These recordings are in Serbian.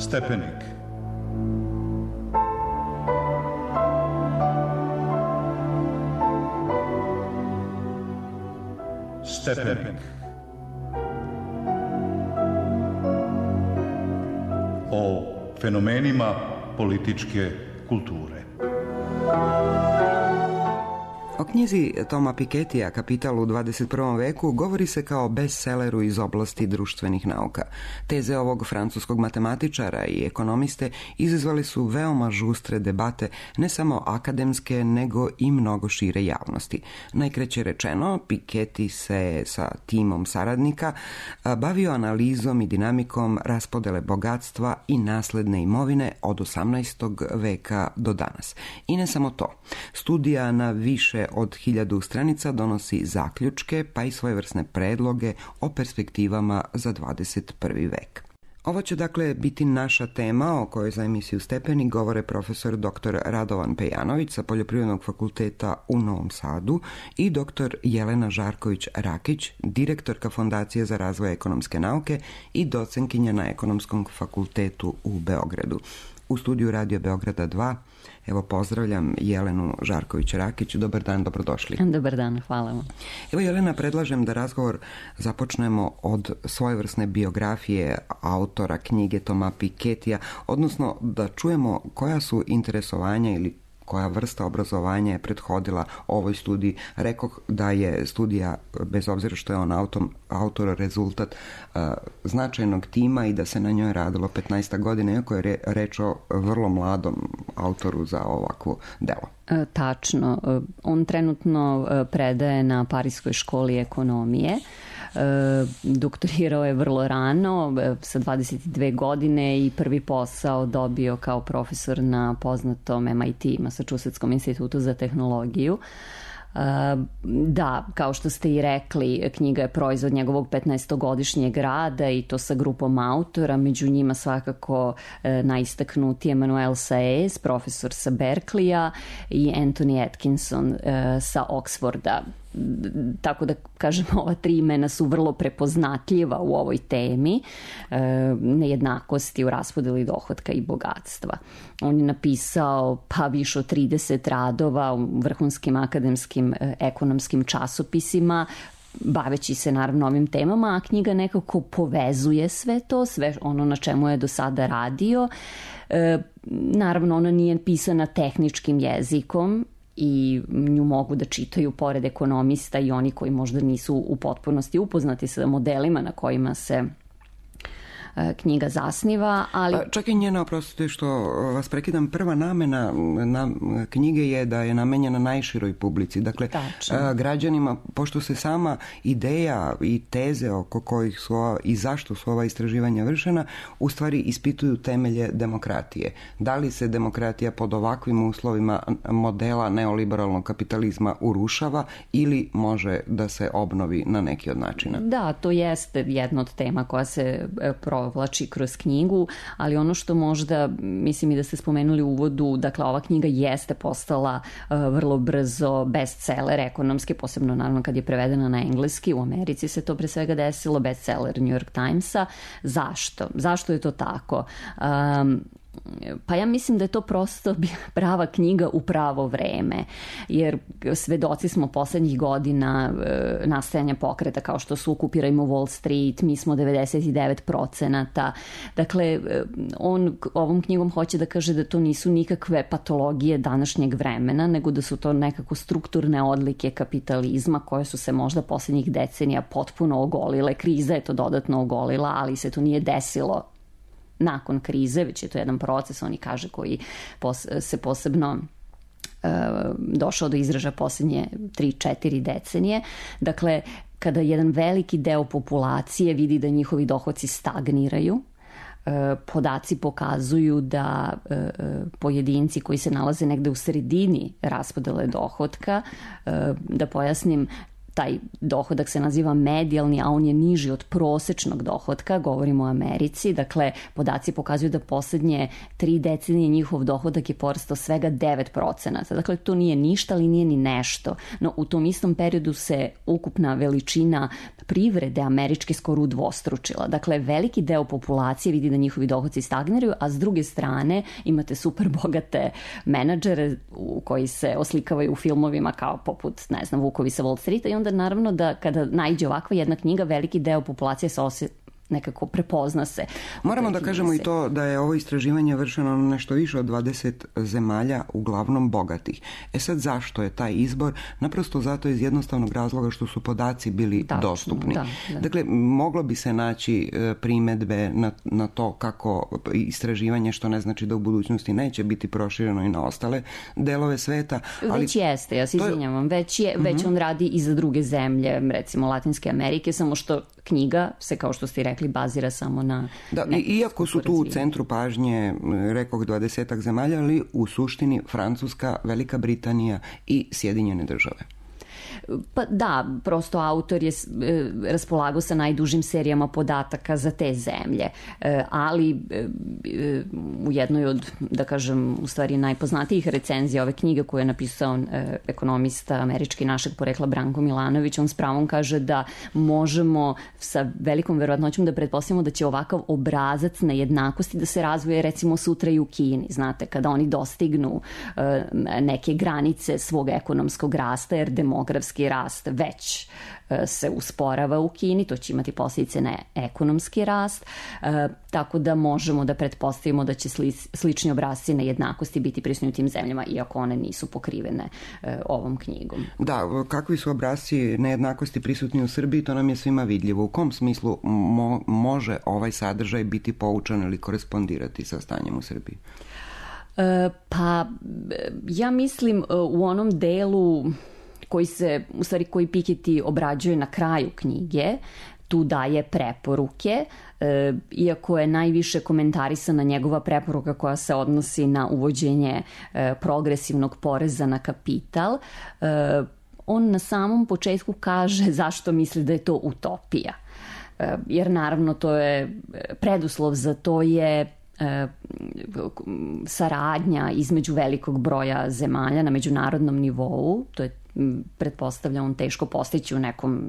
Stepenik. Stepenik. O fenomenima političke kulture. O knjizi Toma Piketija Kapital u 21. veku govori se kao bestselleru iz oblasti društvenih nauka. Teze ovog francuskog matematičara i ekonomiste izazvali su veoma žustre debate, ne samo akademske, nego i mnogo šire javnosti. Najkraće rečeno, Piketty se sa timom saradnika bavio analizom i dinamikom raspodele bogatstva i nasledne imovine od 18. veka do danas. I ne samo to. Studija na više od 1000 stranica donosi zaključke pa i svojevrsne predloge o perspektivama za 21. vek. Ovo će dakle biti naša tema o kojoj za emisiju Stepenik govore profesor dr. Radovan Pejanović sa Poljoprivrednog fakulteta u Novom Sadu i dr. Jelena Žarković-Rakić, direktorka Fondacije za razvoj ekonomske nauke i docenkinja na Ekonomskom fakultetu u Beogradu. U studiju Radio Beograda 2 evo pozdravljam Jelenu Žarković-Rakić. Dobar dan, dobrodošli. Dobar dan, hvala vam. Evo Jelena, predlažem da razgovor započnemo od svojevrsne biografije autora knjige Toma Piketija, odnosno da čujemo koja su interesovanja ili koja vrsta obrazovanja je prethodila ovoj studiji. Rekoh da je studija, bez obzira što je on autor, rezultat značajnog tima i da se na njoj radilo 15 godina, iako je reč o vrlo mladom autoru za ovakvo delo. Tačno. On trenutno predaje na Pariskoj školi ekonomije. Doktorirao je vrlo rano, sa 22 godine i prvi posao dobio kao profesor na poznatom MIT, Massachusettskom institutu za tehnologiju. Da, kao što ste i rekli, knjiga je proizvod njegovog 15-godišnjeg rada i to sa grupom autora, među njima svakako najistaknuti Emmanuel Saez, profesor sa Berkeleya, i Anthony Atkinson sa Oxforda. Tako da kažem, ova tri imena su vrlo prepoznatljiva u ovoj temi nejednakosti u raspodeli dohotka i bogatstva. On je napisao pa više od 30 radova u vrhunskim akademskim ekonomskim časopisima, baveći se naravno ovim temama, a knjiga nekako povezuje sve to, sve ono na čemu je do sada radio. Naravno, ona nije pisana tehničkim jezikom i nju mogu da čitaju pored ekonomista i oni koji možda nisu u potpunosti upoznati sa modelima na kojima se knjiga zasniva, ali... Čak i njena, oprostite što vas prekidam, prva namena knjige je da je namenjena najširoj publici. Dakle, građanima, pošto se sama ideja i teze oko kojih su i zašto su ova istraživanja vršena, u stvari ispituju temelje demokratije. Da li se demokratija pod ovakvim uslovima modela neoliberalnog kapitalizma urušava ili može da se obnovi na neki od načina? Da, to jeste jedna od tema koja se provlači kroz knjigu, ali ono što možda, mislim i da ste spomenuli u uvodu, dakle ova knjiga jeste postala vrlo brzo bestseller ekonomski, posebno naravno kad je prevedena na engleski. U Americi se to pre svega desilo, bestseller New York Timesa. Zašto? Zašto je to tako? Pa ja mislim da je to prosto prava knjiga u pravo vreme, jer svedoci smo poslednjih godina nastajanja pokreta kao što su Okupirajmo Wall Street, mi smo 99%. Dakle, on ovom knjigom hoće da kaže da to nisu nikakve patologije današnjeg vremena, nego da su to nekako strukturne odlike kapitalizma koje su se možda poslednjih decenija potpuno ogolile. Kriza je to dodatno ogolila, ali se to nije desilo nakon krize, već je to jedan proces, oni kaže, koji se posebno došao do izražaja posljednje 3-4 decenije. Dakle, kada jedan veliki deo populacije vidi da njihovi dohoci stagniraju, podaci pokazuju da pojedinci koji se nalaze negde u sredini raspodele dohotka, da pojasnim, taj dohodak se naziva medijalni, a on je niži od prosečnog dohodka, govorimo o Americi, dakle podaci pokazuju da poslednje 3 decenije njihov dohodak je porastao svega 9%, dakle to nije ništa, ali nije ni nešto, no u tom istom periodu se ukupna veličina privrede američke skoro udvostručila, dakle veliki deo populacije vidi da njihovi dohodci stagniraju, a s druge strane imate super bogate menadžere koji se oslikavaju u filmovima kao poput, ne znam, Vukovi sa Wall Streeta, i onda naravno da kada naiđe ovakva jedna knjiga, veliki deo populacije se nekako prepozna se. Moramo da kažemo i to da je ovo istraživanje vršeno na nešto više od 20 zemalja, uglavnom bogatih. Sad zašto je taj izbor? Naprosto zato iz jednostavnog razloga što su podaci bili dostupni. Da. Dakle, moglo bi se naći primedbe na to kako istraživanje, što ne znači da u budućnosti neće biti prošireno i na ostale delove sveta. Ali već jeste, ja se izvinjavam, već on radi i za druge zemlje, recimo Latinske Amerike, samo što knjiga se, kao što ste i rekli, bazira samo na... Da, iako su tu u centru pažnje, rekoh, 20 zemalja, ali u suštini Francuska, Velika Britanija i Sjedinjene Države. Pa da, prosto autor je raspolagao sa najdužim serijama podataka za te zemlje, ali u jednoj od, da kažem, u stvari najpoznatijih recenzija ove knjige koju je napisao ekonomista američki našeg porekla Branko Milanović, on s pravom kaže da možemo sa velikom verovatnoćom da pretpostavimo da će ovakav obrazac nejednakosti da se razvoje recimo sutra i u Kini, znate, kada oni dostignu neke granice svog ekonomskog rasta, jer demografski rast već se usporava u Kini, to će imati posljedice na ekonomski rast, tako da možemo da pretpostavimo da će slični obrasci nejednakosti biti prisutni u tim zemljama, iako one nisu pokrivene ovom knjigom. Da, kakvi su obrasci nejednakosti prisutni u Srbiji, to nam je svima vidljivo. U kom smislu može ovaj sadržaj biti poučan ili korespondirati sa stanjem u Srbiji? Pa, ja mislim u onom delu koji Piketty obrađuje na kraju knjige, tu daje preporuke, iako je najviše komentarisana njegova preporuka koja se odnosi na uvođenje progresivnog poreza na kapital. On na samom početku kaže zašto misli da je to utopija. Jer naravno to je preduslov za to je saradnja između velikog broja zemalja na međunarodnom nivou, to je pretpostavlja on teško postići u nekom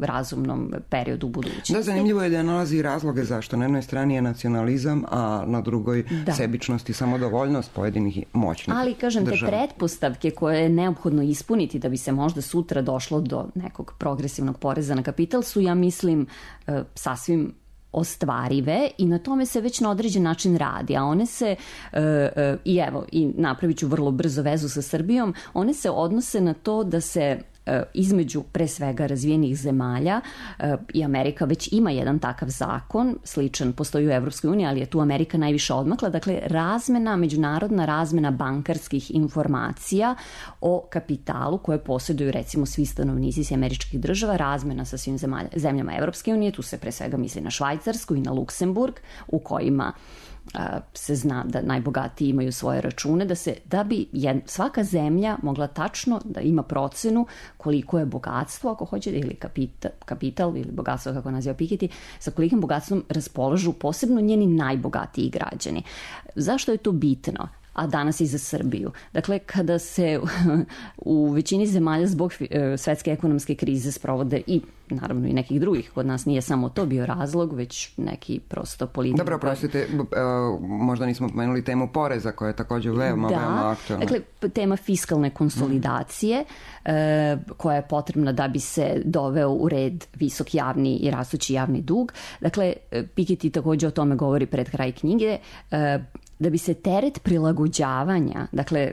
razumnom periodu budućnosti. Da, zanimljivo je da nalazi razloge zašto. Na jednoj strani je nacionalizam, a na drugoj sebičnost i samodovoljnost pojedinih moćnih država. Ali, kažem, te pretpostavke koje je neophodno ispuniti da bi se možda sutra došlo do nekog progresivnog poreza na kapital su, ja mislim, sasvim ostvarive i na tome se već na određen način radi, a one se, i napravit ću vrlo brzo vezu sa Srbijom, one se odnose na to da se između pre svega razvijenih zemalja, i Amerika već ima jedan takav zakon, sličan postoji u Evropskoj uniji, ali je tu Amerika najviše odmakla, dakle međunarodna razmena bankarskih informacija o kapitalu koje posjeduju recimo svi stanovnici američkih država, razmena sa svim zemljama Evropske unije, tu se pre svega misli na Švajcarsku i na Luksemburg, u kojima se zna da najbogatiji imaju svoje račune, da bi svaka zemlja mogla tačno da ima procenu koliko je bogatstvo, ako hoćete, ili kapital ili bogatstvo, kako naziva Piketty, sa kolikim bogatstvom raspolažu posebno njeni najbogatiji građani. Zašto je to bitno? A danas i za Srbiju. Dakle, kada se u većini zemalja zbog svetske ekonomske krize sprovode i naravno i nekih drugih, kod nas nije samo to bio razlog, već neki prosto politika. Dobro, prostite, možda nismo pomenuli temu poreza koja je također veoma aktualna. Dakle, tema fiskalne konsolidacije koja je potrebna da bi se doveo u red visok javni i rastući javni dug. Dakle, Piketty također o tome govori pred kraj knjige, da bi se teret prilagođavanja, dakle,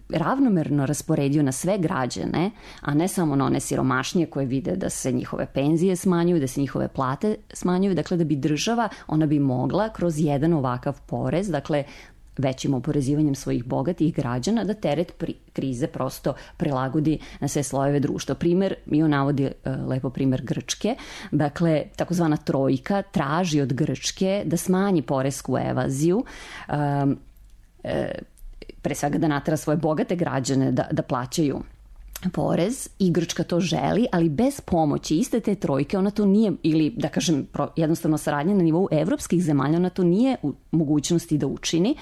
ravnomerno rasporedio na sve građane, a ne samo na one siromašnije koje vide da se njihove penzije smanjuju, da se njihove plate smanjuju, dakle da bi država, ona bi mogla kroz jedan ovakav porez, dakle većim oporezivanjem svojih bogatih građana, da teret krize prosto prilagodi na sve slojeve društva. Primer, mi on navodi lepo primer Grčke, dakle takozvana trojka traži od Grčke da smanji poresku evaziju, pre svega da natera svoje bogate građane da plaćaju porez i Grčka to želi, ali bez pomoći iste te trojke ona to nije, ili da kažem jednostavno saradnja na nivou evropskih zemalja, ona to nije u mogućnosti da učini,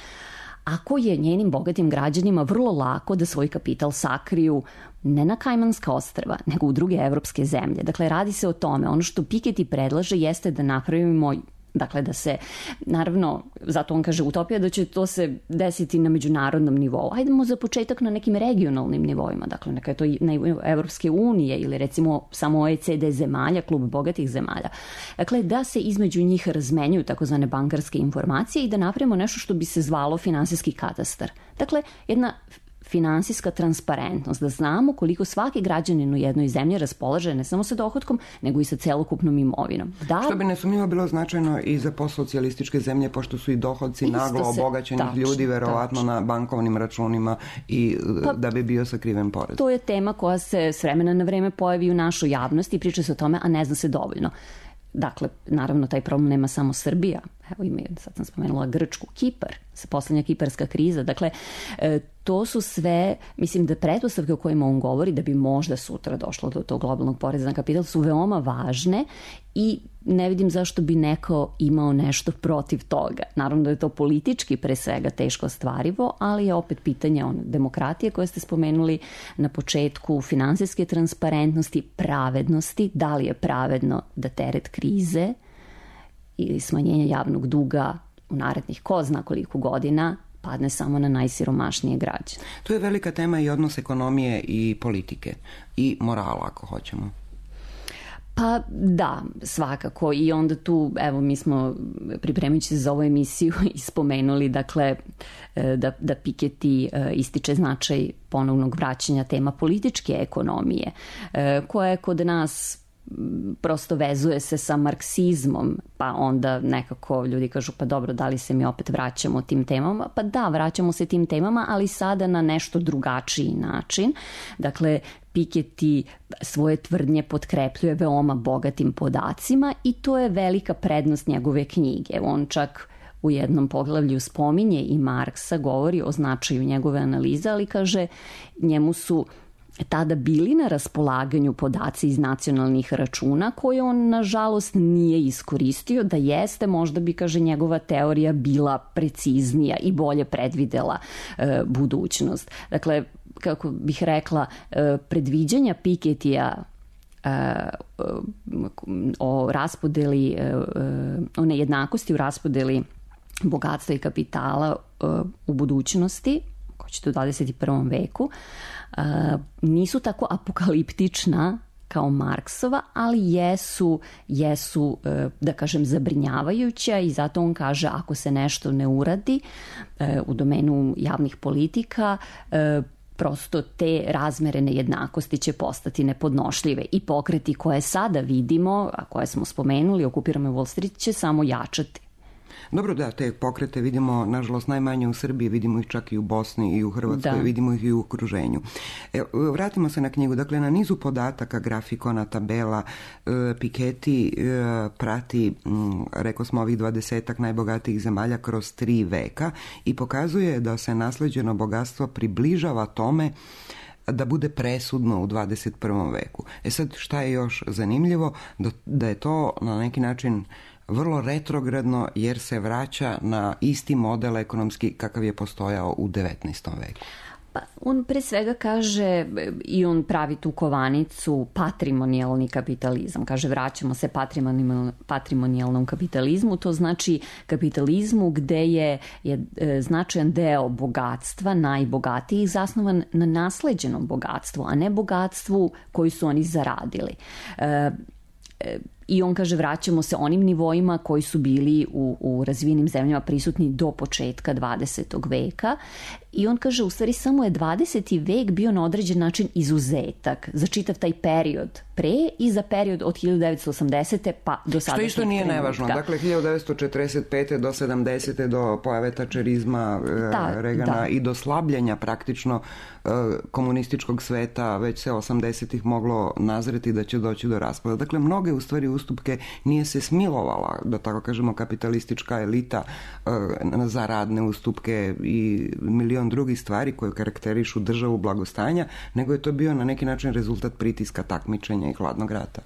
ako je njenim bogatim građanima vrlo lako da svoj kapital sakriju ne na Kajmanska ostrva, nego u druge evropske zemlje. Dakle, radi se o tome. Ono što Piketty predlaže jeste da napravimo, dakle da se, naravno, zato on kaže utopija da će to se desiti na međunarodnom nivou. Hajdemo za početak na nekim regionalnim nivoima, dakle neka je to na Evropske unije ili recimo samo OECD zemalja, klub bogatih zemalja. Dakle, da se između njih razmenjuju takozvane bankarske informacije i da napravimo nešto što bi se zvalo finansijski katastar. Dakle, jedna finansijska transparentnost, da znamo koliko svaki građanin u jednoj zemlji raspolaže ne samo sa dohotkom, nego i sa celokupnom imovinom. Što bi nesumnjivo bilo značajno i za postsocijalističke zemlje, pošto su i dohodci naglo obogaćenih ljudi verovatno na bankovnim računima i da bi bio sakriven porez. To je tema koja se s vremena na vreme pojavi u našoj javnosti i priča se o tome, a ne zna se dovoljno. Dakle, naravno, taj problem nema samo Srbija. Evo ima, sad sam spomenula Grčku, Kipar, poslednja kiparska kriza. Dakle, to su sve, mislim da pretpostavke o kojima on govori da bi možda sutra došlo do tog globalnog poreza na kapital su veoma važne i ne vidim zašto bi neko imao nešto protiv toga. Naravno da je to politički pre svega teško ostvarivo, ali je opet pitanje demokratije koje ste spomenuli na početku, finansijske transparentnosti, pravednosti, da li je pravedno da teret krize ili smanjenje javnog duga u narednih ko zna koliko godina padne samo na najsiromašnije građane. To je velika tema i odnos ekonomije i politike i morala, ako hoćemo. Pa da, svakako. I onda tu, evo, mi smo pripremajući se za ovu emisiju i spomenuli, dakle, da Piketty ističe značaj ponovnog vraćanja tema političke ekonomije, koja je kod nas prosto vezuje se sa marksizmom, pa onda nekako ljudi kažu pa dobro, da li se mi opet vraćamo tim temama? Pa da, vraćamo se tim temama, ali sada na nešto drugačiji način. Dakle, Piketty svoje tvrdnje potkrepljuje veoma bogatim podacima i to je velika prednost njegove knjige. On čak u jednom poglavlju spominje i Marksa, govori o značaju njegove analize, ali kaže njemu su tada bili na raspolaganju podaci iz nacionalnih računa koje on nažalost nije iskoristio. Da jeste, možda bi, kaže, njegova teorija bila preciznija i bolje predvidela budućnost. Dakle, kako bih rekla, predviđanja Pikettyja o raspodeli, o nejednakosti u raspodeli bogatstva i kapitala u budućnosti, ko će u 21. veku, nisu tako apokaliptična kao Marksova, ali jesu, da kažem, zabrinjavajuća i zato on kaže ako se nešto ne uradi u domenu javnih politika, prosto te razmere nejednakosti će postati nepodnošljive i pokreti koje sada vidimo, a koje smo spomenuli, okupiramo Wall Street, će samo jačati. Dobro, da, te pokrete vidimo, nažalost, najmanje u Srbiji, vidimo ih čak i u Bosni i u Hrvatskoj, da. Vidimo ih i u okruženju. Vratimo se na knjigu. Dakle, na nizu podataka, grafikona, tabela, Piketty prati, rekao smo, ovih 20 najbogatijih zemalja kroz 3 veka i pokazuje da se nasleđeno bogatstvo približava tome da bude presudno u 21. veku. Sad, šta je još zanimljivo? Da je to na neki način vrlo retrogradno jer se vraća na isti model ekonomski kakav je postojao u 19. veku. Pa on pre svega kaže i on pravi tu kovanicu patrimonijalni kapitalizam. Kaže vraćamo se patrimonijalnom kapitalizmu, to znači kapitalizmu gde je značajan deo bogatstva, najbogatijih, zasnovan na nasleđenom bogatstvu, a ne bogatstvu koji su oni zaradili. I on kaže vraćamo se onim nivoima koji su bili u razvijenim zemljama prisutni do početka 20. veka i on kaže u stvari samo je 20. vek bio na određen način izuzetak za čitav taj period pre i za period od 1980. pa do sada. Što isto nije nevažno. Dakle, 1945. do 70. do pojave tačerizma Regana i do slabljenja praktično komunističkog sveta, već se 80-ih moglo nazreti da će doći do raspada. Dakle, mnoge u stvari ustupke, nije se smilovala, da tako kažemo, kapitalistička elita za radne ustupke i milion drugih stvari koje karakterišu državu blagostanja, nego je to bio na neki način rezultat pritiska, takmičenja i hladnog rata.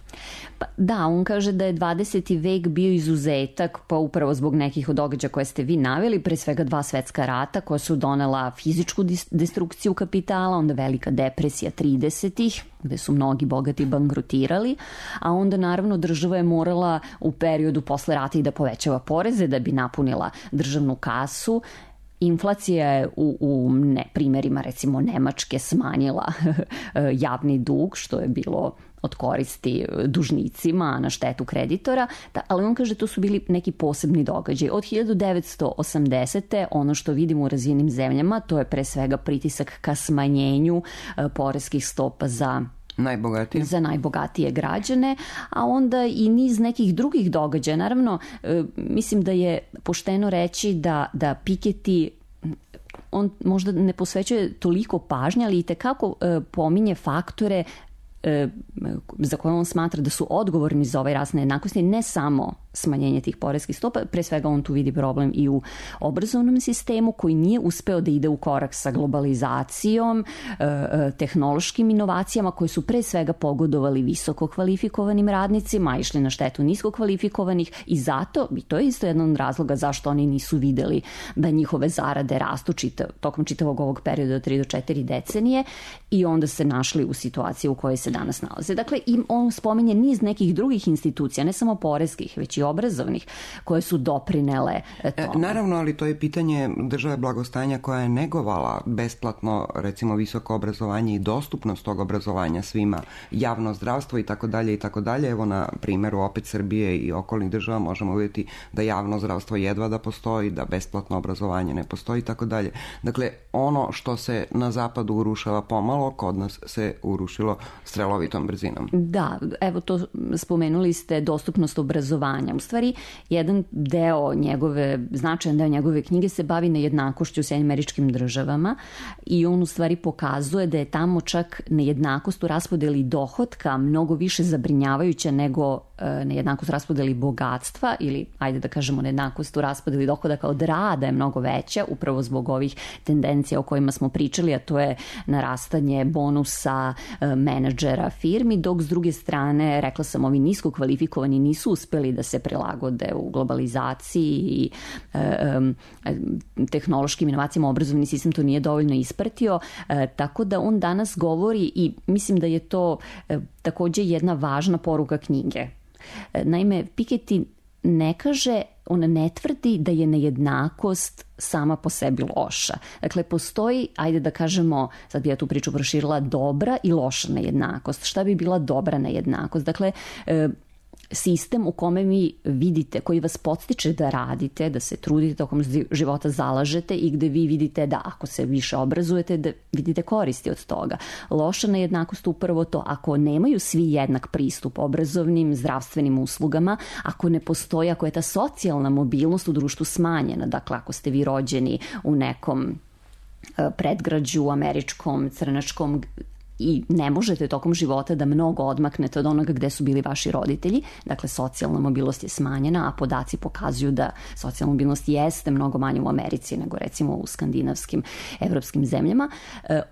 Pa, da, on kaže da je 20. vek bio izuzetak, pa upravo zbog nekih od događaja koje ste vi naveli, pre svega 2 svetska rata koja su donela fizičku destrukciju kapitala, onda velika depresija 30-ih, gde su mnogi bogati bankrotirali, a onda naravno država je morala u periodu posle rata i da povećava poreze da bi napunila državnu kasu. Inflacija je u primerima recimo Nemačke smanjila javni dug, što je bilo od koristi dužnicima na štetu kreditora, ali on kaže to su bili neki posebni događaj. Od 1980. ono što vidimo u razvijenim zemljama, to je pre svega pritisak ka smanjenju poreskih stopa za najbogatije građane, a onda i niz nekih drugih događaja. Naravno, mislim da je pošteno reći da Piketty, on možda ne posvećuje toliko pažnje, ali i tekako pominje faktore za koje on smatra da su odgovorni za ovaj rast nejednakosti, ne samo smanjenje tih poreskih stopa, pre svega on tu vidi problem i u obrazovnom sistemu koji nije uspeo da ide u korak sa globalizacijom, tehnološkim inovacijama koje su pre svega pogodovali visoko kvalifikovanim radnicima, išli na štetu nisko kvalifikovanih i zato, i to je isto jedan od razloga zašto oni nisu videli da njihove zarade rastu tokom čitavog ovog perioda od 3 do 4 decenije i onda se našli u situaciji u kojoj se danas nalaze. Dakle, on spominje niz nekih drugih institucija, ne samo poreskih, već i obrazovnih, koje su doprinele tome. Naravno, ali to je pitanje države blagostanja koja je negovala besplatno, recimo, visoko obrazovanje i dostupnost tog obrazovanja svima, javno zdravstvo i tako dalje i tako dalje. Evo na primjeru opet Srbije i okolnih država možemo vidjeti da javno zdravstvo jedva da postoji, da besplatno obrazovanje ne postoji i tako dalje. Dakle, ono što se na zapadu urušava pomalo, kod nas se urušilo strelovitom brzinom. Da, evo to spomenuli ste, dostupnost obrazovanja. U stvari, jedan značajan deo njegove knjige se bavi nejednakošću u Sjedinjenim Američkim Državama i on u stvari pokazuje da je tamo čak nejednakost u raspodeli dohotka mnogo više zabrinjavajuća nego nejednakost u raspodeli bogatstva ili, ajde da kažemo, nejednakost u raspodeli dohodaka od rada je mnogo veća, upravo zbog ovih tendencija o kojima smo pričali, a to je narastanje bonusa menadžera firmi, dok s druge strane, rekla sam, ovi nisko kvalifikovani nisu uspeli da se prilagode u globalizaciji i tehnološkim inovacijama, obrazovni sistem to nije dovoljno ispratio, tako da on danas govori i mislim da je to takođe jedna važna poruka knjige. Naime, Piketty on ne tvrdi da je nejednakost sama po sebi loša. Dakle, postoji, ajde da kažemo, sad bi ja tu priču proširila, dobra i loša nejednakost. Šta bi bila dobra nejednakost? Dakle, sistem u kome vi vidite, koji vas podstiče da radite, da se trudite, tokom života zalažete i gde vi vidite da ako se više obrazujete, da vidite koristi od toga. Loša nejednakost upravo to, ako nemaju svi jednak pristup obrazovnim, zdravstvenim uslugama, ako ne postoji, ako je ta socijalna mobilnost u društvu smanjena, dakle ako ste vi rođeni u nekom predgrađu američkom, crnačkom, i ne možete tokom života da mnogo odmaknete od onoga gde su bili vaši roditelji. Dakle, socijalna mobilnost je smanjena, a podaci pokazuju da socijalna mobilnost jeste mnogo manje u Americi nego recimo u skandinavskim, evropskim zemljama.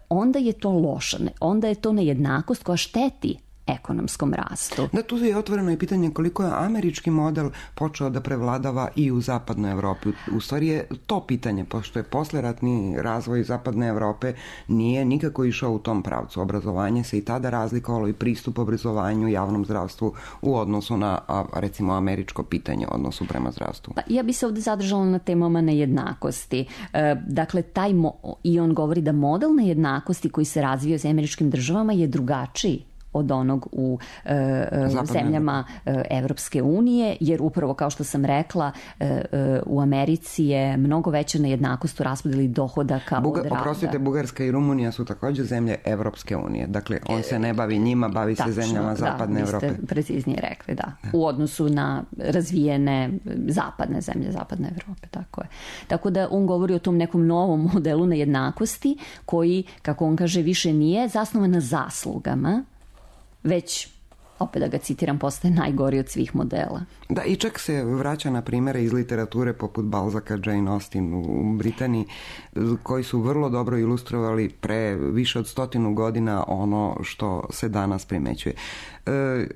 Onda je to loša, onda je to nejednakost koja šteti ekonomskom rastu. Da, tu je otvoreno i pitanje koliko je američki model počeo da prevladava i u zapadnoj Evropi. U stvari je to pitanje, pošto je posleratni razvoj zapadne Evrope nije nikako išao u tom pravcu. Obrazovanje se i tada razlikovalo i pristup obrazovanju, javnom zdravstvu u odnosu na, recimo, američko pitanje, odnosu prema zdravstvu. Pa, ja bi se ovde zadržala na temama nejednakosti. Dakle, i on govori da model nejednakosti koji se razvio sa američkim državama je drugačiji od onog u zemljama Evropske unije, jer upravo kao što sam rekla, u Americi je mnogo veća nejednakost u raspodeli dohodaka od rada. Oprostite, Bugarska i Rumunija su takođe zemlje Evropske unije. Dakle, on se ne bavi njima, bavi se zemljama zapadne Evrope. Vi ste preciznije rekli, da. U odnosu na razvijene zapadne zemlje, zapadne Evrope, tako je. Tako da on govori o tom nekom novom modelu nejednakosti koji, kako on kaže, više nije zasnovan na zaslugama, već opet da ga citiram, postaje najgori od svih modela. Da, i čak se vraća na primere iz literature poput Balzaka, Jane Austen u Britaniji, koji su vrlo dobro ilustrovali pre više od 100 godina ono što se danas primećuje.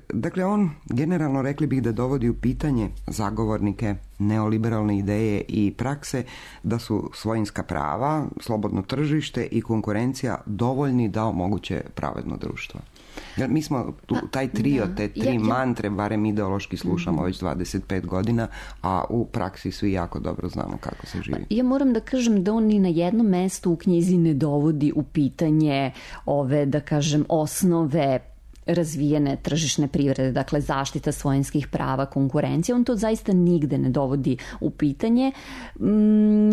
Dakle, on generalno, rekli bih, da dovodi u pitanje zagovornike neoliberalne ideje i prakse da su svojinska prava, slobodno tržište i konkurencija dovoljni da omoguće pravedno društvo. Mi smo taj trio, te tri mantre, barem ideološki slušamo već 25 godina, a u praksi svi jako dobro znamo kako se živi. Ja moram da kažem da on ni na jednom mestu u knjizi ne dovodi u pitanje ove, da kažem, osnove razvijene tržišne privrede, dakle zaštita svojinskih prava, konkurencija, on to zaista nigde ne dovodi u pitanje.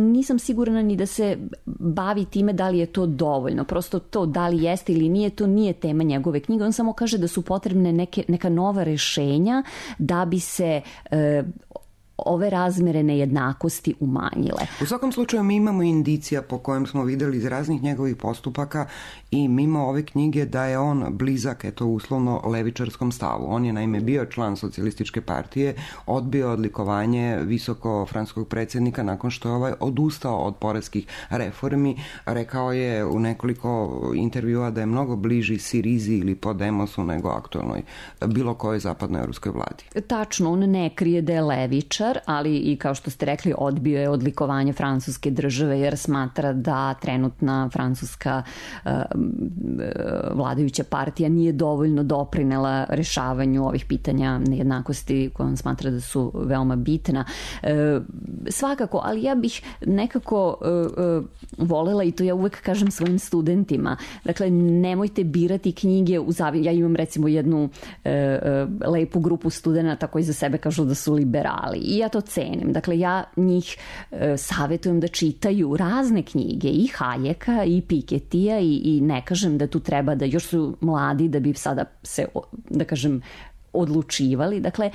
Nisam sigurna ni da se bavi time da li je to dovoljno. Prosto to da li jeste ili nije, to nije tema njegove knjige. On samo kaže da su potrebne neka nova rešenja da bi se ove razmere nejednakosti umanjile. U svakom slučaju mi imamo indicija po kojem smo videli iz raznih njegovih postupaka i mimo ove knjige da je on blizak, uslovno, levičarskom stavu. On je naime bio član socijalističke partije, odbio odlikovanje visoko francuskog predsjednika nakon što je ovaj odustao od poreskih reformi. Rekao je u nekoliko intervjua da je mnogo bliži Sirizi ili Podemosu nego aktualnoj bilo kojoj zapadnoj ruskoj vladi. Tačno, on ne krije da je levičar, ali i kao što ste rekli, odbio je odlikovanje francuske države jer smatra da trenutna francuska vladajuća partija nije dovoljno doprinela rešavanju ovih pitanja nejednakosti koje on smatra da su veoma bitna. Svakako, ali ja bih nekako volela, i to ja uvek kažem svojim studentima, dakle, nemojte birati knjige ja imam recimo jednu lepu grupu studenata koji za sebe kažu da su liberali i ja to cenim. Dakle, ja njih savjetujem da čitaju razne knjige, i Hayeka i Piketija, i ne kažem da tu treba da još su mladi da bi sada se, da kažem, odlučivali. Dakle,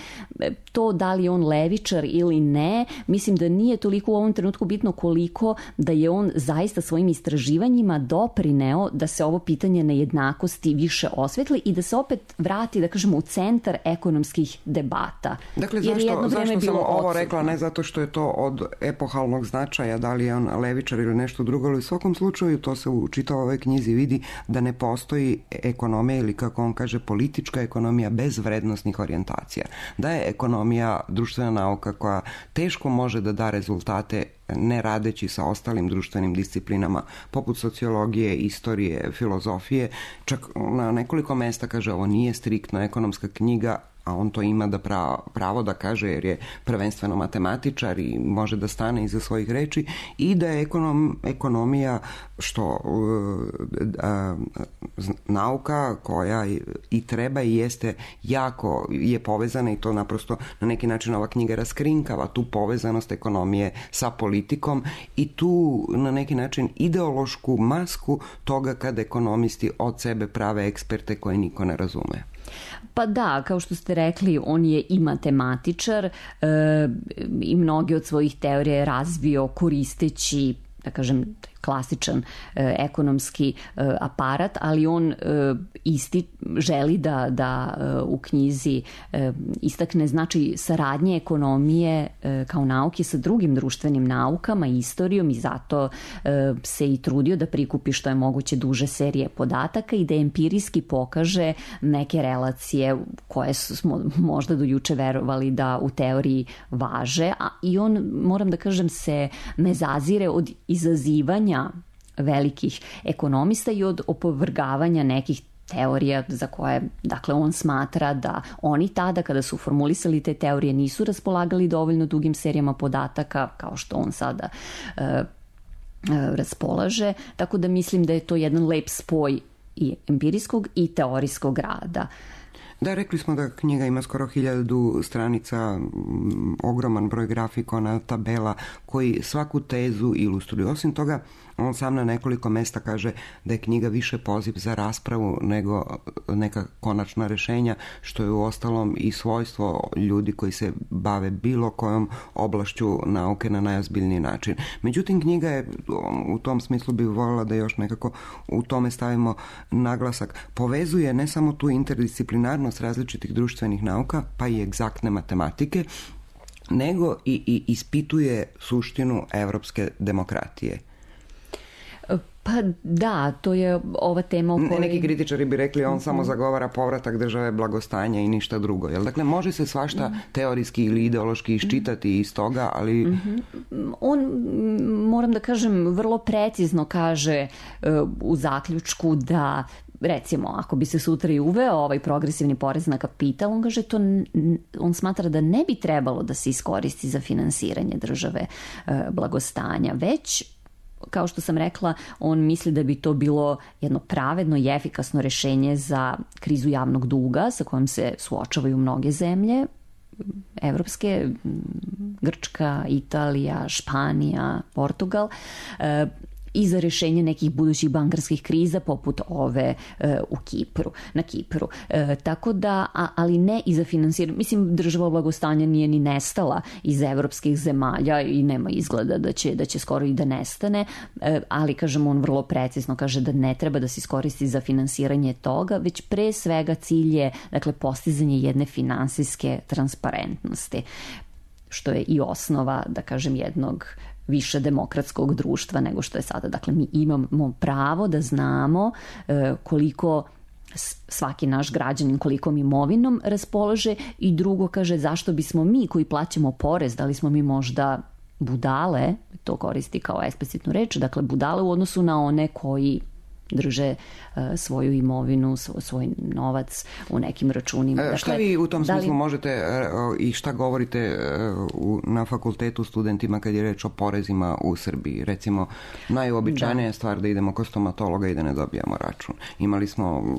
to da li je on levičar ili ne, mislim da nije toliko u ovom trenutku bitno koliko da je on zaista svojim istraživanjima doprineo da se ovo pitanje nejednakosti više osvetli i da se opet vrati, da kažemo, u centar ekonomskih debata. Dakle, zašto sam ovo rekla? Ne zato što je to od epohalnog značaja, da li je on levičar ili nešto drugo, ali u svakom slučaju to se u čitavoj ovoj knjizi vidi da ne postoji ekonomija ili, kako on kaže, politička ekonomija bez vrednosti orijentacija. Da je ekonomija društvena nauka koja teško može da da rezultate ne radeći sa ostalim društvenim disciplinama poput sociologije, istorije, filozofije. Čak na nekoliko mesta kaže ovo nije striktno ekonomska knjiga, a on to ima da pravo da kaže jer je prvenstveno matematičar i može da stane iza svojih reči, i da je ekonomija što nauka koja i treba i jeste jako je povezana, i to naprosto na neki način ova knjiga raskrinkava tu povezanost ekonomije sa politikom i tu na neki način ideološku masku toga kada ekonomisti od sebe prave eksperte koje niko ne razume. Pa da, kao što ste rekli, on je i matematičar i mnoge od svojih teorija je razvio koristeći, da kažem, klasičan ekonomski aparat, ali on želi da u knjizi istakne znači saradnje ekonomije kao nauke sa drugim društvenim naukama i istorijom, i zato se i trudio da prikupi što je moguće duže serije podataka i da empirijski pokaže neke relacije koje smo možda do juče verovali da u teoriji važe, i on, moram da kažem, se ne zazire od izazivanja velikih ekonomista i od opovrgavanja nekih teorija za koje, dakle, on smatra da oni tada kada su formulisali te teorije nisu raspolagali dovoljno dugim serijama podataka kao što on sada raspolaže, tako da mislim da je to jedan lep spoj i empirijskog i teorijskog rada. Da, rekli smo da knjiga ima skoro 1000 stranica, ogroman broj grafikona, tabela koji svaku tezu ilustruju. Osim toga, on sam na nekoliko mesta kaže da je knjiga više poziv za raspravu nego neka konačna rešenja, što je uostalom i svojstvo ljudi koji se bave bilo kojom oblašću nauke na najozbiljniji način. Međutim, knjiga je, u tom smislu bih voljela da još nekako u tome stavimo naglasak, povezuje ne samo tu interdisciplinarnost važnost različitih društvenih nauka, pa i egzaktne matematike, nego i ispituje suštinu evropske demokratije. Pa da, to je ova tema o kojoj... Neki kritičari bi rekli on samo zagovara povratak države blagostanja i ništa drugo. Jel? Dakle, može se svašta teorijski ili ideološki iščitati iz toga, ali... On, moram da kažem, vrlo precizno kaže u zaključku da recimo, ako bi se sutra i uveo ovaj progresivni porez na kapital, on kaže on smatra da ne bi trebalo da se iskoristi za finansiranje države blagostanja, već kao što sam rekla, on misli da bi to bilo jedno pravedno i efikasno rešenje za krizu javnog duga sa kojom se suočavaju mnoge zemlje, evropske, Grčka, Italija, Španija, Portugal, i za rešenje nekih budućih bankarskih kriza poput ove na Kipru. Tako da, ali ne i za finansiranje. Mislim, država blagostanja nije ni nestala iz evropskih zemalja i nema izgleda da će skoro i da nestane, ali, kažem, on vrlo precizno kaže da ne treba da se iskoristi za finansiranje toga, već pre svega cilj je, dakle, postizanje jedne finansijske transparentnosti, što je i osnova, da kažem, jednog više demokratskog društva nego što je sada. Dakle, mi imamo pravo da znamo koliko svaki naš građanin, kolikom imovinom raspolaže, i drugo, kaže, zašto bismo mi koji plaćamo porez, da li smo mi možda budale, to koristi kao eksplicitnu reč, dakle budale u odnosu na one koji drže svoju imovinu, svoj novac u nekim računima. Dakle, šta vi u tom smislu možete i šta govorite na fakultetu studentima kad je reč o porezima u Srbiji? Recimo, najobičajnija stvar da idemo kod stomatologa i da ne dobijamo račun. Imali smo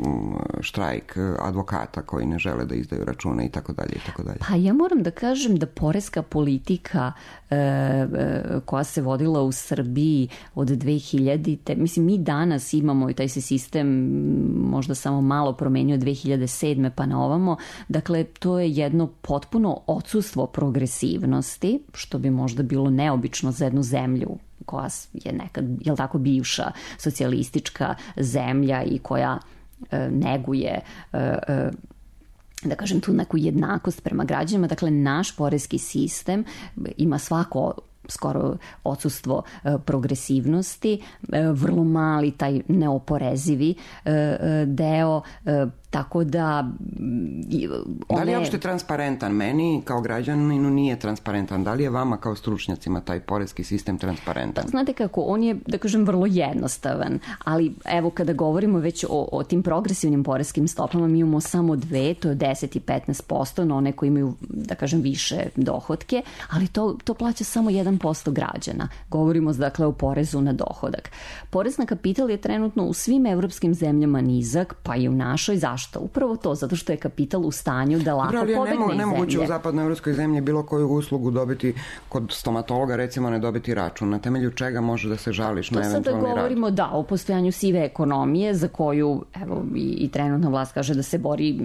štrajk advokata koji ne žele da izdaju račune i tako dalje i tako dalje. Pa ja moram da kažem da poreska politika koja se vodila u Srbiji od 2000-te, mislim, mi danas imamo i taj se sistem možda samo malo promenio 2007. pa na ovamo, dakle to je jedno potpuno odsustvo progresivnosti, što bi možda bilo neobično za jednu zemlju koja je nekad, jel tako, bivša socijalistička zemlja i koja neguje da kažem tu neku jednakost prema građanima. Dakle, naš poreski sistem ima svako skoro odsustvo progresivnosti, vrlo mali taj neoporezivi deo, tako da... Da li je uopšte transparentan? Meni kao građaninu nije transparentan. Da li je vama kao stručnjacima taj poreski sistem transparentan? Znate kako, on je, da kažem, vrlo jednostavan, ali evo kada govorimo već o tim progresivnim poreskim stopama, mi imamo samo dve, to je 10 i 15% na one koji imaju, da kažem, više dohotke, ali to plaća samo 1% građana. Govorimo, dakle, o porezu na dohodak. Porez na kapital je trenutno u svim evropskim zemljama nizak, pa i u našoj. Zašto? Upravo to, zato što je kapital u stanju da lako pobegne iz zemlje. Nemoguće u zapadnoevropskoj zemlji bilo koju uslugu dobiti kod stomatologa, recimo ne dobiti račun. Na temelju čega može da se žališ na eventualni rad? To sada govorimo, da, o postojanju sive ekonomije za koju, evo, i trenutna vlast kaže da se bori,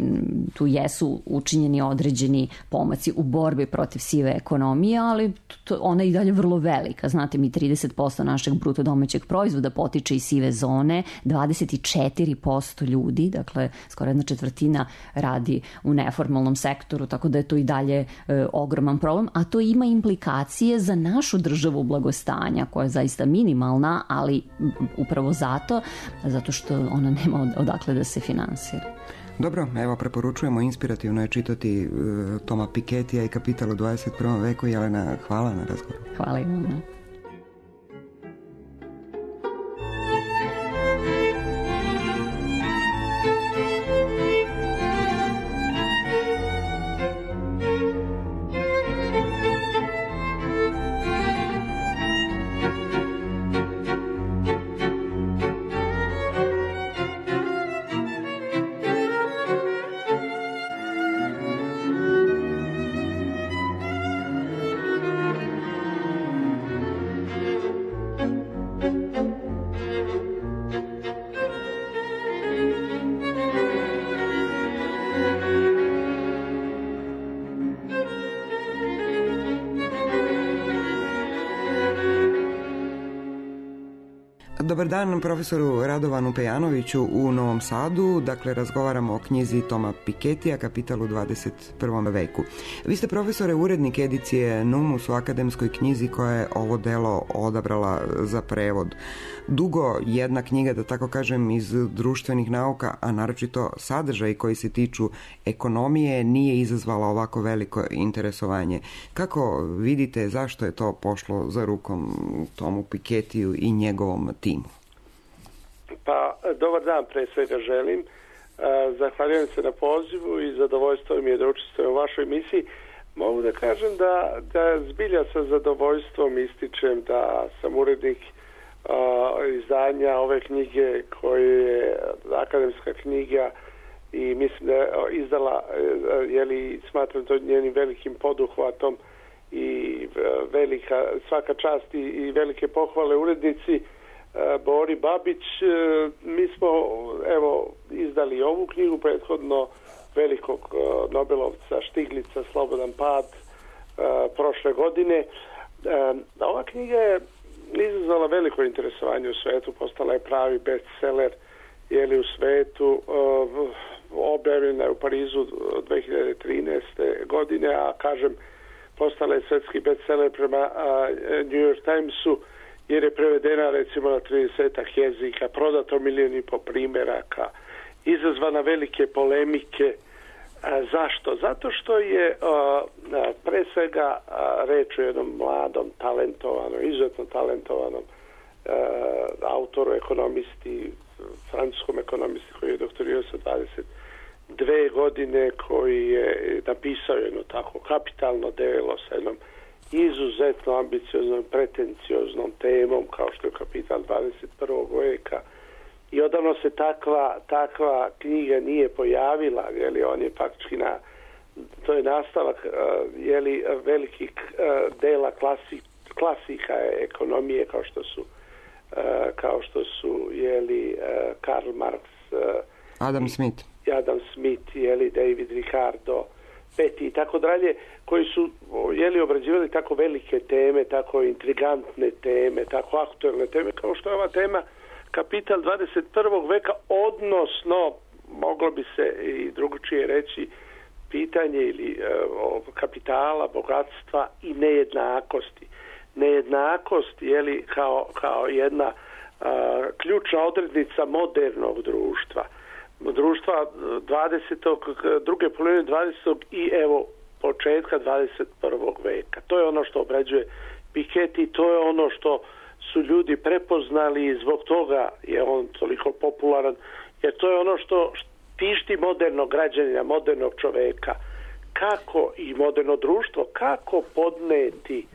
tu jesu učinjeni određeni pomaci u borbi protiv sive ekonomije, ali ona je i dalje vrlo velika. Znate, mi 30% našeg bruto domaćeg proizvoda potiče iz sive zone, 24% ljudi, dakle, skoro 1/4 radi u neformalnom sektoru, tako da je to i dalje ogroman problem, a to ima implikacije za našu državu blagostanja, koja je zaista minimalna, ali upravo zato što ona nema odakle da se finansira. Dobro, evo, preporučujemo, inspirativno je čitati Toma Piketija i Kapital u 21. veku. Jelena, hvala na razgovoru. Hvala i vama. Dobar dan profesoru Radovanu Pejanoviću u Novom Sadu. Dakle, razgovaramo o knjizi Toma Piketija, Kapital u 21. veku. Vi ste, profesore, urednik edicije Numus u akademskoj knjizi koja je ovo delo odabrala za prevod. Dugo jedna knjiga, da tako kažem, iz društvenih nauka, a naročito sadržaj koji se tiču ekonomije, nije izazvala ovako veliko interesovanje. Kako vidite, zašto je to pošlo za rukom Tomu Piketiju i njegovom timu? Pa, dobar dan, pre svega želim. Zahvaljujem se na pozivu i zadovoljstvo mi je da učestvujem u vašoj emisiji. Mogu da kažem da zbilja sa zadovoljstvom ističem da sam urednik izdanja ove knjige koje je akademska knjiga i mislim da je izdala, smatram to njenim velikim poduhvatom i svaka čast i velike pohvale urednici Bori Babić. Mi smo izdali ovu knjigu, prethodno velikog Nobelovca Štiglica Slobodan pad prošle godine. Ova knjiga je izazvala veliko interesovanje u svetu, postala je pravi bestseller u svetu, objavljena je u Parizu 2013. godine, a kažem postala je svetski bestseller prema New York Timesu, jer je prevedena recimo na 30 jezika, prodato 1,5 milijuna primjeraka, izazvana velike polemike. Zašto? Zato što je pre svega reč o jednom mladom, talentovanom, izuzetno talentovanom autoru, ekonomisti, francuskom ekonomisti koji je doktorirao sa 22 godine, koji je napisao jedno tako kapitalno delo sa jednom izuzetno ambicioznom, pretencioznom temom kao što je Kapital 21. veka. I odavno se takva knjiga nije pojavila, on je faktički to je nastavak velikih dela klasika ekonomije kao što su Karl Marx, Adam Smith, David Ricardo, Petty i tako dalje, koji su obrađivali tako velike teme, tako intrigantne teme, tako aktuelne teme kao što je ova tema Kapital 21. veka, odnosno moglo bi se i drugačije reći pitanje kapitala, bogatstva i nejednakosti. Nejednakost kao jedna ključna odrednica modernog društva. Društva druge polovine 20. i početka 21. veka. To je ono što obrađuje Piketty, to je ono što su ljudi prepoznali i zbog toga je on toliko popularan, jer to je ono što tišti modernog građanina, modernog čoveka. Kako i moderno društvo, kako podneti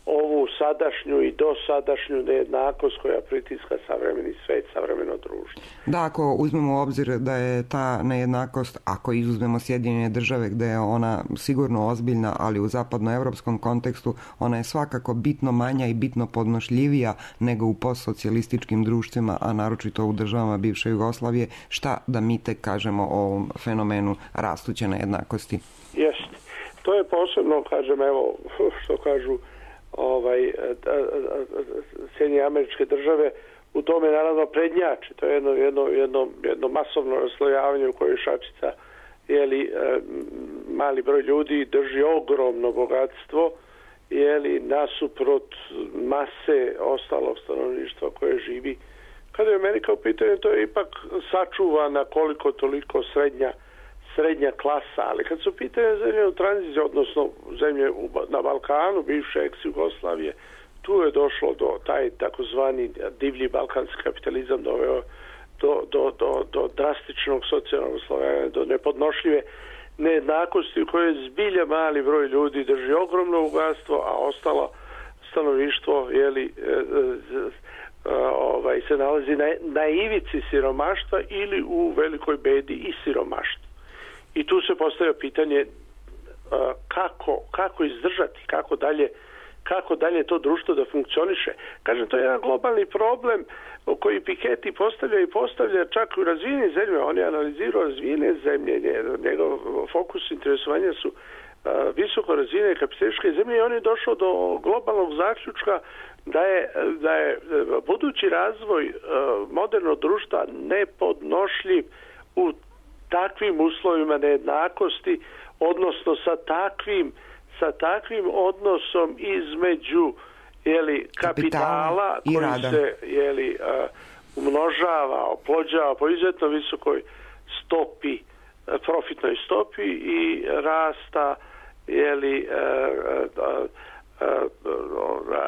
ovu sadašnju i dosadašnju nejednakost koja pritiska savremeni svet, savremeno društvo. Da, ako uzmemo u obzir da je ta nejednakost, ako izuzmemo Sjedinjene Države gde je ona sigurno ozbiljna, ali u zapadnoevropskom kontekstu ona je svakako bitno manja i bitno podnošljivija nego u postsocijalističkim društvima, a naročito u državama bivše Jugoslavije, šta da mi tek kažemo o ovom fenomenu rastuće nejednakosti? Jeste. To je posebno, što kažu Sjedinjene Američke Države u tome naravno prednjači. To je jedno masovno raslojavanje u kojoj šačica mali broj ljudi drži ogromno bogatstvo nasuprot mase ostalog stanovništva koje živi. Kada je Amerika u pitanju, to je ipak sačuvana koliko toliko srednja klasa, ali kad su pitanje zemlje u tranziciji, odnosno zemlje na Balkanu, bivše ex-Jugoslavije, tu je došlo do taj takozvani divlji balkanski kapitalizam doveo do drastičnog socijalnog oslovljavanja, do nepodnošljive nejednakosti u kojoj zbilja mali broj ljudi drži ogromno bogatstvo, a ostalo stanovništvo se nalazi na ivici siromaštva ili u velikoj bedi i siromaštvu. I tu se postavlja pitanje kako izdržati, kako dalje to društvo da funkcioniše. Kažem, to je jedan globalni problem koji Piketty postavlja čak u razvijenim zemljama. On je analizirao razvijene zemlje, njegov fokus interesovanja su visoko razine kapitalističke zemlje i on je došao do globalnog zaključka da je budući razvoj modernog društva nepodnošljiv u takvim uslovima nejednakosti, odnosno sa takvim odnosom između kapitala koji se umnožava, oplođava po izuzetno visokoj stopi, profitnoj stopi i rasta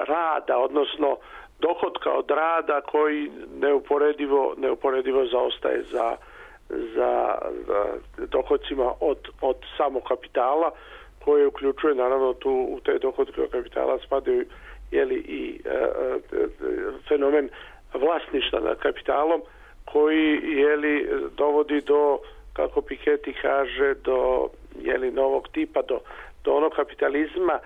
rada, odnosno dohotka od rada koji neuporedivo zaostaje za dohodcima od samog kapitala, koje uključuje naravno u te dohodke od kapitala spadaju i fenomen vlasništva nad kapitalom koji dovodi do, kako Piketty kaže, do novog tipa, do onog kapitalizma,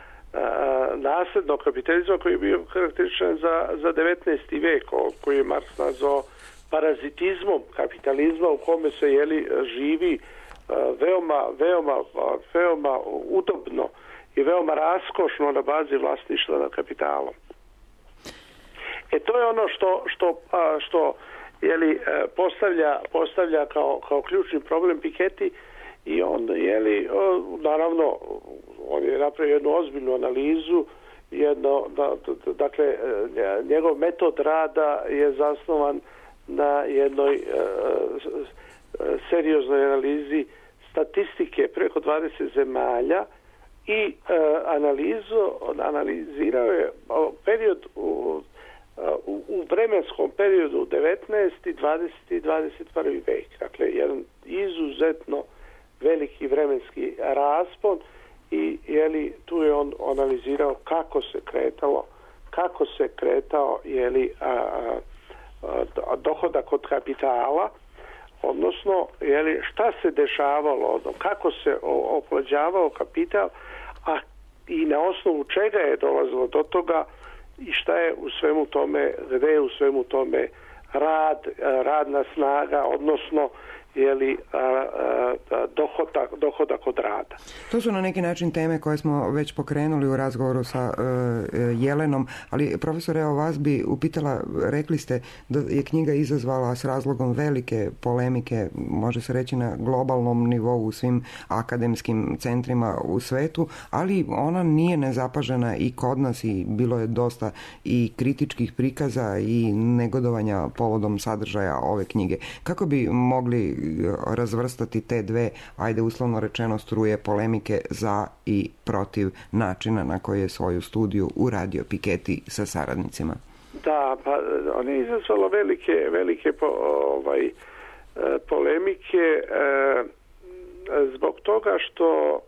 naslednog kapitalizma koji je bio karakterističan za 19. vek, koji je Marks nazvao parazitizmom kapitalizma, u kome se živi veoma udobno i veoma raskošno na bazi vlasništva nad kapitalom. To je ono što postavlja kao ključni problem Piketty i on naravno on je napravio jednu ozbiljnu analizu, dakle njegov metod rada je zasnovan na jednoj serioznoj analizi statistike preko 20 zemalja i analizirao je period u vremenskom periodu 19. 20. i 21. vek. Dakle, jedan izuzetno veliki vremenski raspon i tu je on analizirao kako se kretao dohodak od kapitala, odnosno šta se dešavalo, kako se oplođavao kapital, a i na osnovu čega je dolazilo do toga i šta je u svemu tome, gde je u svemu tome radna snaga, odnosno dohodak od rada. To su na neki način teme koje smo već pokrenuli u razgovoru sa Jelenom, ali profesore, evo vas bi upitala, rekli ste da je knjiga izazvala s razlogom velike polemike, može se reći na globalnom nivou u svim akademskim centrima u svetu, ali ona nije nezapažena i kod nas i bilo je dosta i kritičkih prikaza i negodovanja povodom sadržaja ove knjige. Kako bi mogli razvrstati te dve, ajde uslovno rečeno, struje polemike za i protiv načina na koji je svoju studiju uradio Piketty sa saradnicima? Da, pa on je izazvalo velike polemike zbog toga što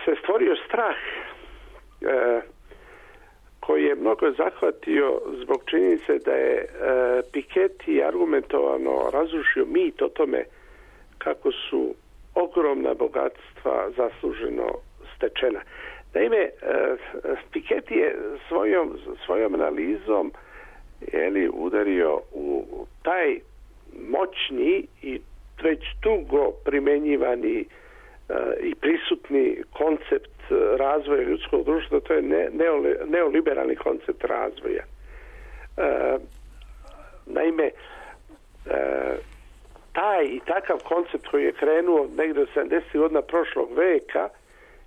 se stvorio strah koji je mnogo zahvatio zbog činjenice da je Piketty argumentovano razrušio mit o tome kako su ogromna bogatstva zasluženo stečena. Naime, Piketty je svojom analizom udario u taj moćni i već dugo primenjivani i prisutni koncept razvoja ljudskog društva, to je neoliberalni koncept razvoja. Naime, taj i takav koncept koji je krenuo negdje od 70. godina prošlog veka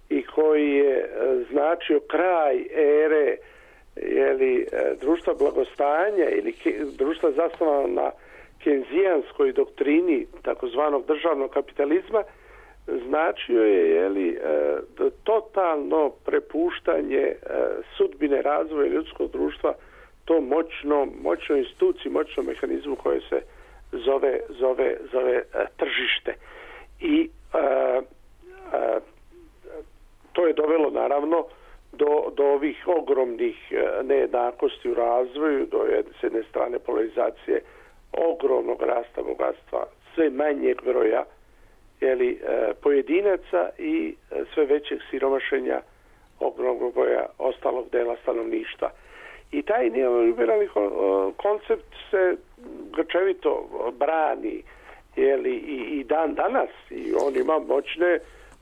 i koji je značio kraj ere društva blagostanja ili društva zasnovano na kenzijanskoj doktrini takozvanog državnog kapitalizma, značio je totalno prepuštanje sudbine razvoja ljudskog društva tom moćnoj instituciji, moćnom mehanizmu koje se zove tržište. I to je dovelo naravno do ovih ogromnih nejednakosti u razvoju, do s jedne strane polarizacije, ogromnog rasta bogatstva, sve manjeg broja pojedinaca i sve većeg siromašenja ogromnog broja ostalog dela stanovništva. I taj neoliberalni koncept se grčevito brani i dan danas, i on ima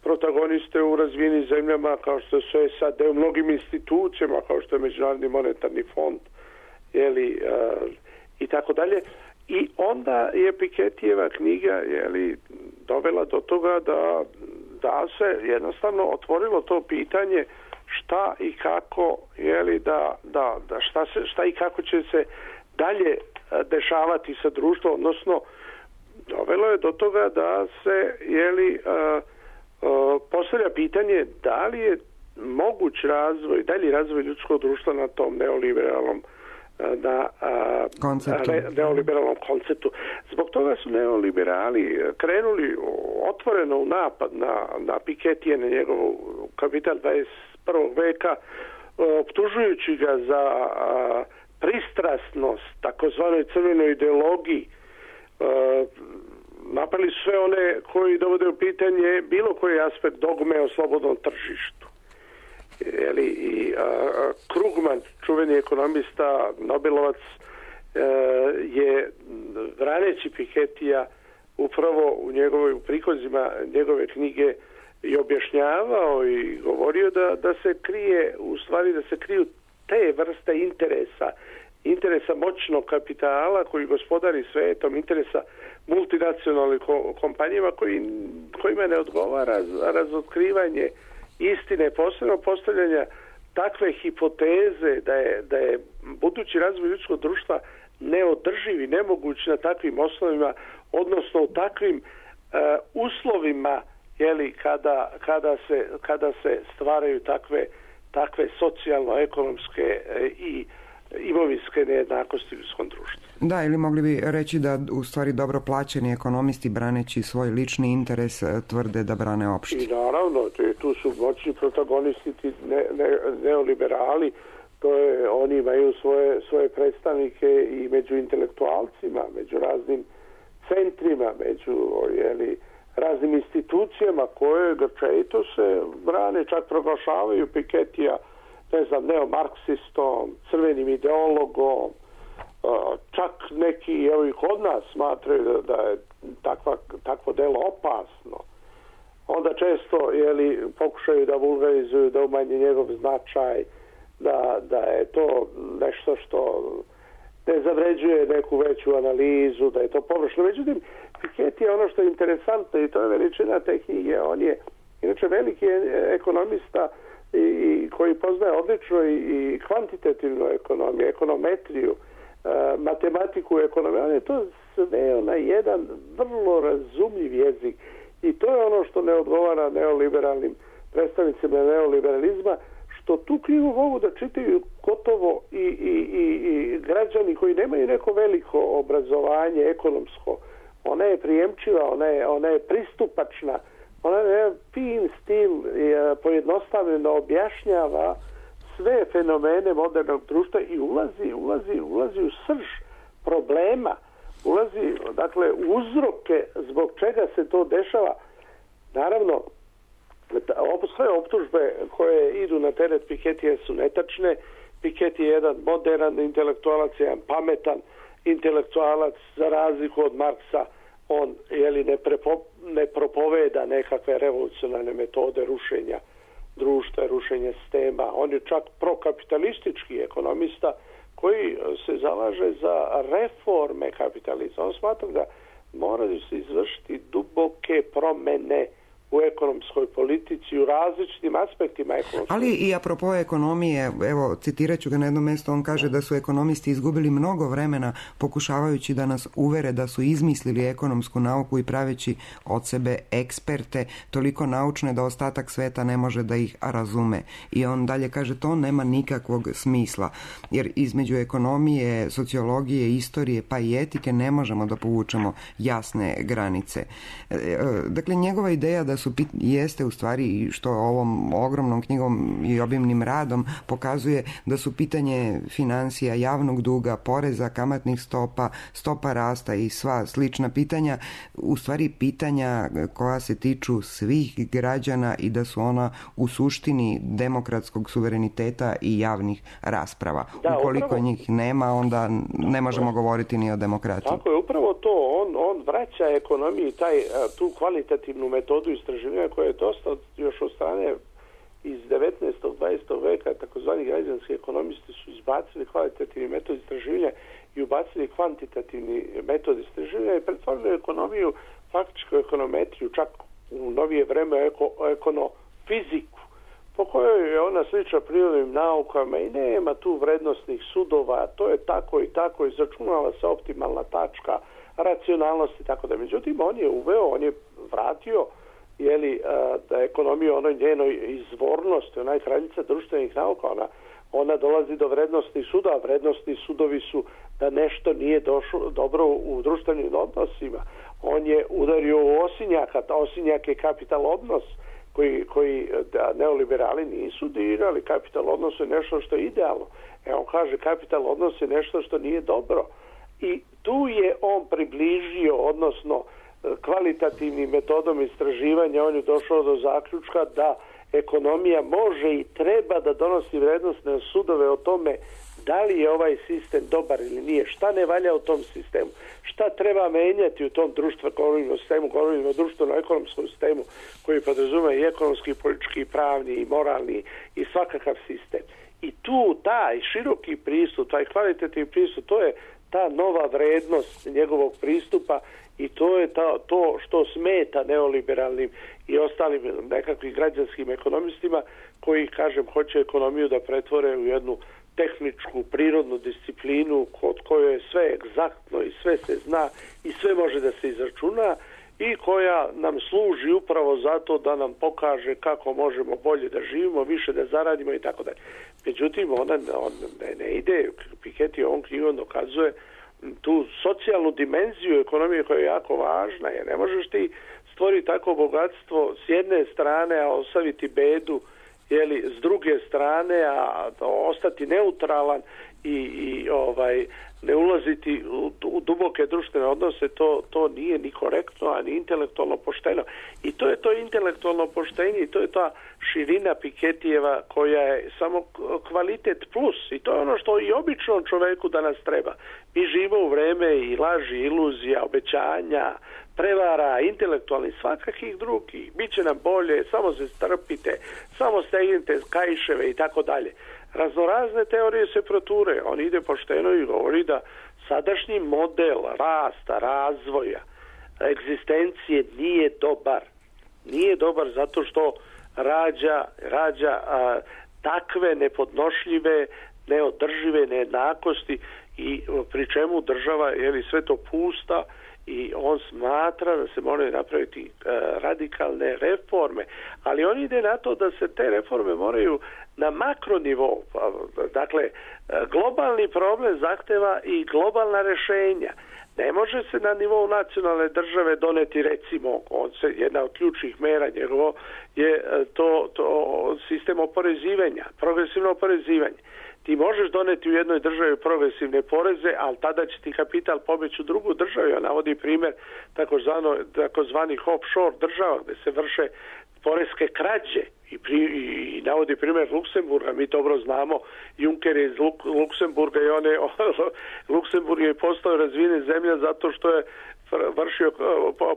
protagoniste u razvijenim zemljama kao što su SAD, u mnogim institucijama kao što je Međunarodni monetarni fond, i tako dalje. I onda je Piketijeva knjiga dovela do toga da se jednostavno otvorilo to pitanje šta i kako šta i kako će se dalje dešavati sa društvom, odnosno dovelo je do toga da se postavlja pitanje da li je moguć dalji razvoj ljudskog društva na tom neoliberalnom neoliberalnom konceptu. Zbog toga su neoliberali krenuli otvoreno u napad na Piketije, na njegov Kapital 21. veka, optužujući ga za pristrasnost takozvanoj crvenoj ideologiji. Napali su sve one koji dovode u pitanje bilo koji aspekt dogme o slobodnom tržištu. Krugman, čuveni ekonomista, Nobelovac, je braneći Piketija upravo u prikozima njegove knjige i objašnjavao i govorio da se kriju te vrste interesa moćnog kapitala koji gospodari svetom, interesa multinacionalnih kompanijama kojima ne odgovara razotkrivanje istine, posebno postavljanja takve hipoteze da je budući razvoj ljudskog društva neodrživ i nemoguć na takvim osnovima, odnosno u takvim uslovima kada se stvaraju takve socijalno-ekonomske i imovinske nejednakosti u ljudskom društvu. Da, ili mogli bi reći da u stvari dobro plaćeni ekonomisti braneći svoj lični interes tvrde da brane opšti. I naravno, tu su moćni protagonisti neoliberali, oni imaju svoje predstavnike i među intelektualcima, među raznim centrima, među raznim institucijama koje grčevito se brane, čak proglašavaju Piketija neomarksistom, crvenim ideologom, čak neki kod nas smatraju da je takvo delo opasno. Onda često pokušaju da vulgarizuju, da umanje njegov značaj, da je to nešto što ne zavređuje neku veću analizu, da je to površno. Međutim, Piketty je ono što je interesantno i to je veličina te knjige. On je inače veliki ekonomista i koji poznaje odlično i kvantitativnu ekonomiju, ekonometriju, matematiku, ekonomiju. On je to sveo na jedan vrlo razumljiv jezik i to je ono što ne odgovara neoliberalnim predstavnicima neoliberalizma, što tu knjigu mogu da čitaju gotovo i građani koji nemaju neko veliko obrazovanje ekonomsko. Ona je prijemčiva, ona je pristupačna, ona je fin stil, pojednostavljeno objašnjava sve fenomene modernog društva i ulazi u srž problema, ulazi dakle u uzroke zbog čega se to dešava. Naravno, sve optužbe koje idu na teret Piketija su netačne. Piketty je jedan moderan intelektualac, jedan pametan intelektualac, za razliku od Marksa. On ne propoveda nekakve revolucionarne metode rušenja društva, rušenja sistema. On je čak prokapitalistički ekonomista koji se zalaže za reforme kapitalizma. On smatra da moraju se izvršiti duboke promene u ekonomskoj politici, u različitim aspektima ekonomskoj. Ali i apropo ekonomije, evo, citirat ću ga na jedno mjesto, on kaže da su ekonomisti izgubili mnogo vremena pokušavajući da nas uvere da su izmislili ekonomsku nauku i praveći od sebe eksperte, toliko naučne da ostatak sveta ne može da ih razume. I on dalje kaže, to nema nikakvog smisla, jer između ekonomije, sociologije, istorije pa i etike ne možemo da povučemo jasne granice. Dakle, njegova ideja da jeste u stvari, što ovom ogromnom knjigom i obimnim radom pokazuje, da su pitanje financija, javnog duga, poreza, kamatnih stopa rasta i sva slična pitanja u stvari pitanja koja se tiču svih građana i da su ona u suštini demokratskog suvereniteta i javnih rasprava. Ukoliko njih nema, onda ne možemo govoriti ni o demokratiji. Tako je, upravo to. On vraća ekonomiji tu kvalitativnu metodu istraživanja istraživanja koje je dosta još od strane iz 19. 20. veka, takozvani građanski ekonomisti su izbacili kvalitativni metod istraživanja i ubacili kvantitativni metod istraživanja i pretvorili ekonomiju, faktičku ekonometriju, čak u novije vreme ekonofiziku, po kojoj je ona slična prirodnim naukama i nema tu vrednostnih sudova, to je tako i tako, izračunava se optimalna tačka, racionalnost i tako da. Međutim, on je vratio da ekonomija onoj njenoj izvornosti, onaj kraljica društvenih nauka, ona dolazi do vrednostnih sudova. Vrednostni sudovi su da nešto nije došlo dobro u društvenim odnosima. On je udario u osinjaka, osinjak je kapital odnos koji neoliberali nisu dirali. Kapital odnos je nešto što je idealno. On kaže kapital odnos je nešto što nije dobro. I tu je on približio, odnosno kvalitativnim metodom istraživanja, on je došao do zaključka da ekonomija može i treba da donosi vrednostne sudove o tome da li je ovaj sistem dobar ili nije, šta ne valja u tom sistemu, šta treba menjati u tom društveno-ekonomskom sistemu, govorimo o društveno-ekonomskom sistemu koji podrazumeva i ekonomski, i politički, i pravni, i moralni, i svakakav sistem. I tu taj široki pristup, taj kvalitativni pristup, to je ta nova vrednost njegovog pristupa i to je to što smeta neoliberalnim i ostalim nekakvim građanskim ekonomistima koji, kažem, hoće ekonomiju da pretvore u jednu tehničku, prirodnu disciplinu kod kojoj je sve egzaktno i sve se zna i sve može da se izračuna i koja nam služi upravo zato da nam pokaže kako možemo bolje da živimo, više da zaradimo i tako dalje. Međutim, ona ne ide, Piketty ovom knjigom dokazuje tu socijalnu dimenziju ekonomije koja je jako važna, jer ne možeš ti stvoriti tako bogatstvo s jedne strane, a ostaviti bedu s druge strane, a ostati neutralan i ne ulaziti u duboke društvene odnose, to nije ni korektno, a ni intelektualno pošteno. I to je to intelektualno poštenje i to je ta širina Pikettyjeva koja je samo kvalitet plus i to je ono što i običnom čoveku danas treba. Mi živimo u vreme i laži, iluzija, obećanja, prevara, intelektualnih, svakakih drugih. Biće nam bolje, samo se strpite, samo stegnite kaiševe i tako dalje. Raznorazne teorije se proture. On ide pošteno i govori da sadašnji model rasta, razvoja, egzistencije nije dobar. Nije dobar zato što rađa takve nepodnošljive, neodržive nejednakosti i pri čemu država sve to pusta i on smatra da se moraju napraviti radikalne reforme, ali on ide na to da se te reforme moraju na makronivou. Dakle, globalni problem zahteva i globalna rješenja. Ne može se na nivou nacionalne države doneti, recimo, jedna od ključnih mera njegovo je to sistem oporezivanja, progresivno oporezivanje. Ti možeš doneti u jednoj državi progresivne poreze, ali tada će ti kapital pobjeći u drugu državu. Ja navodi primjer takozvanih offshore država gdje se vrše poreske krađe i navodi primjer Luksemburga. Mi dobro znamo, Juncker je iz Luksemburga i Luksemburg je postao razvijena zemlja zato što je vršio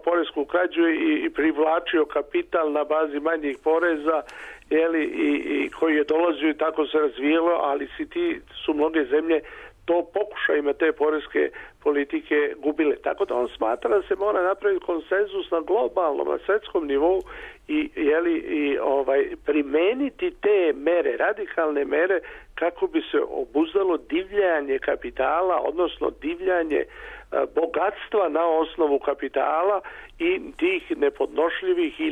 poresku krađu i privlačio kapital na bazi manjih poreza i koji je dolazio i tako se razvijelo, ali su mnoge zemlje to pokušajima te poreske politike gubile. Tako da on smatra da se mora napraviti konsenzus na globalnom, na svjetskom nivou i primeniti te mere, radikalne mere kako bi se obuzdalo divljanje kapitala, odnosno divljanje bogatstva na osnovu kapitala i tih nepodnošljivih i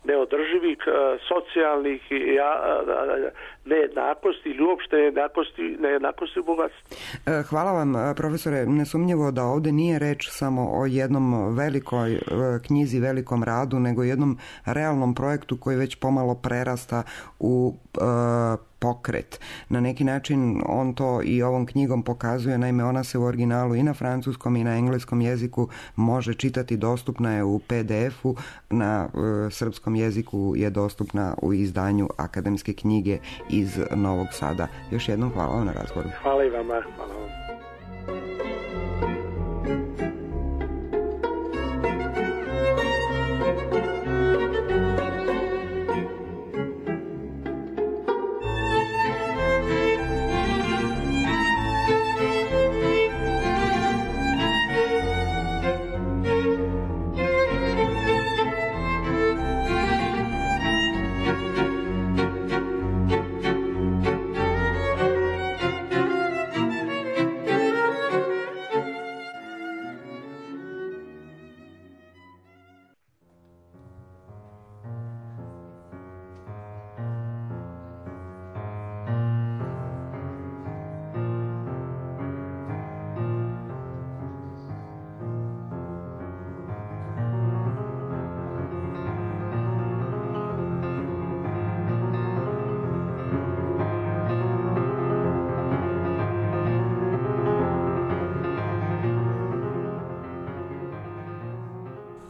neodrživih socijalnih nejednakosti ili uopšte nejednakosti u bogatstvu. Hvala vam, profesore. Nesumnjivo da ovdje nije reč samo o jednom velikoj knjizi, velikom radu, nego jednom realnom projektu koji već pomalo prerasta u pokret. Na neki način on to i ovom knjigom pokazuje, naime ona se u originalu i na francuskom i na engleskom jeziku može čitati, dostupna je u PDF-u, na srpskom jeziku je dostupna u izdanju Akademske knjige iz Novog Sada. Još jednom hvala vam na razgovoru. Hvala i vama. Hvala vam.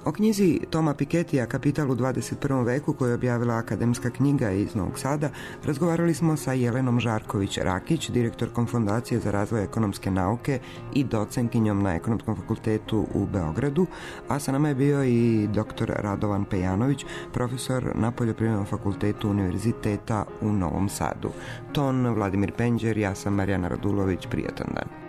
O knjizi Toma Piketija Kapital u 21. veku, koju je objavila Akademska knjiga iz Novog Sada, razgovarali smo sa Jelenom Žarković-Rakić, direktorkom Fondacije za razvoj ekonomske nauke i docentkinjom na Ekonomskom fakultetu u Beogradu, a sa nama je bio i dr. Radovan Pejanović, profesor na Poljoprivrednom fakultetu Univerziteta u Novom Sadu. Ton Vladimir Penđer, ja sam Marijana Radulović, prijatan dan.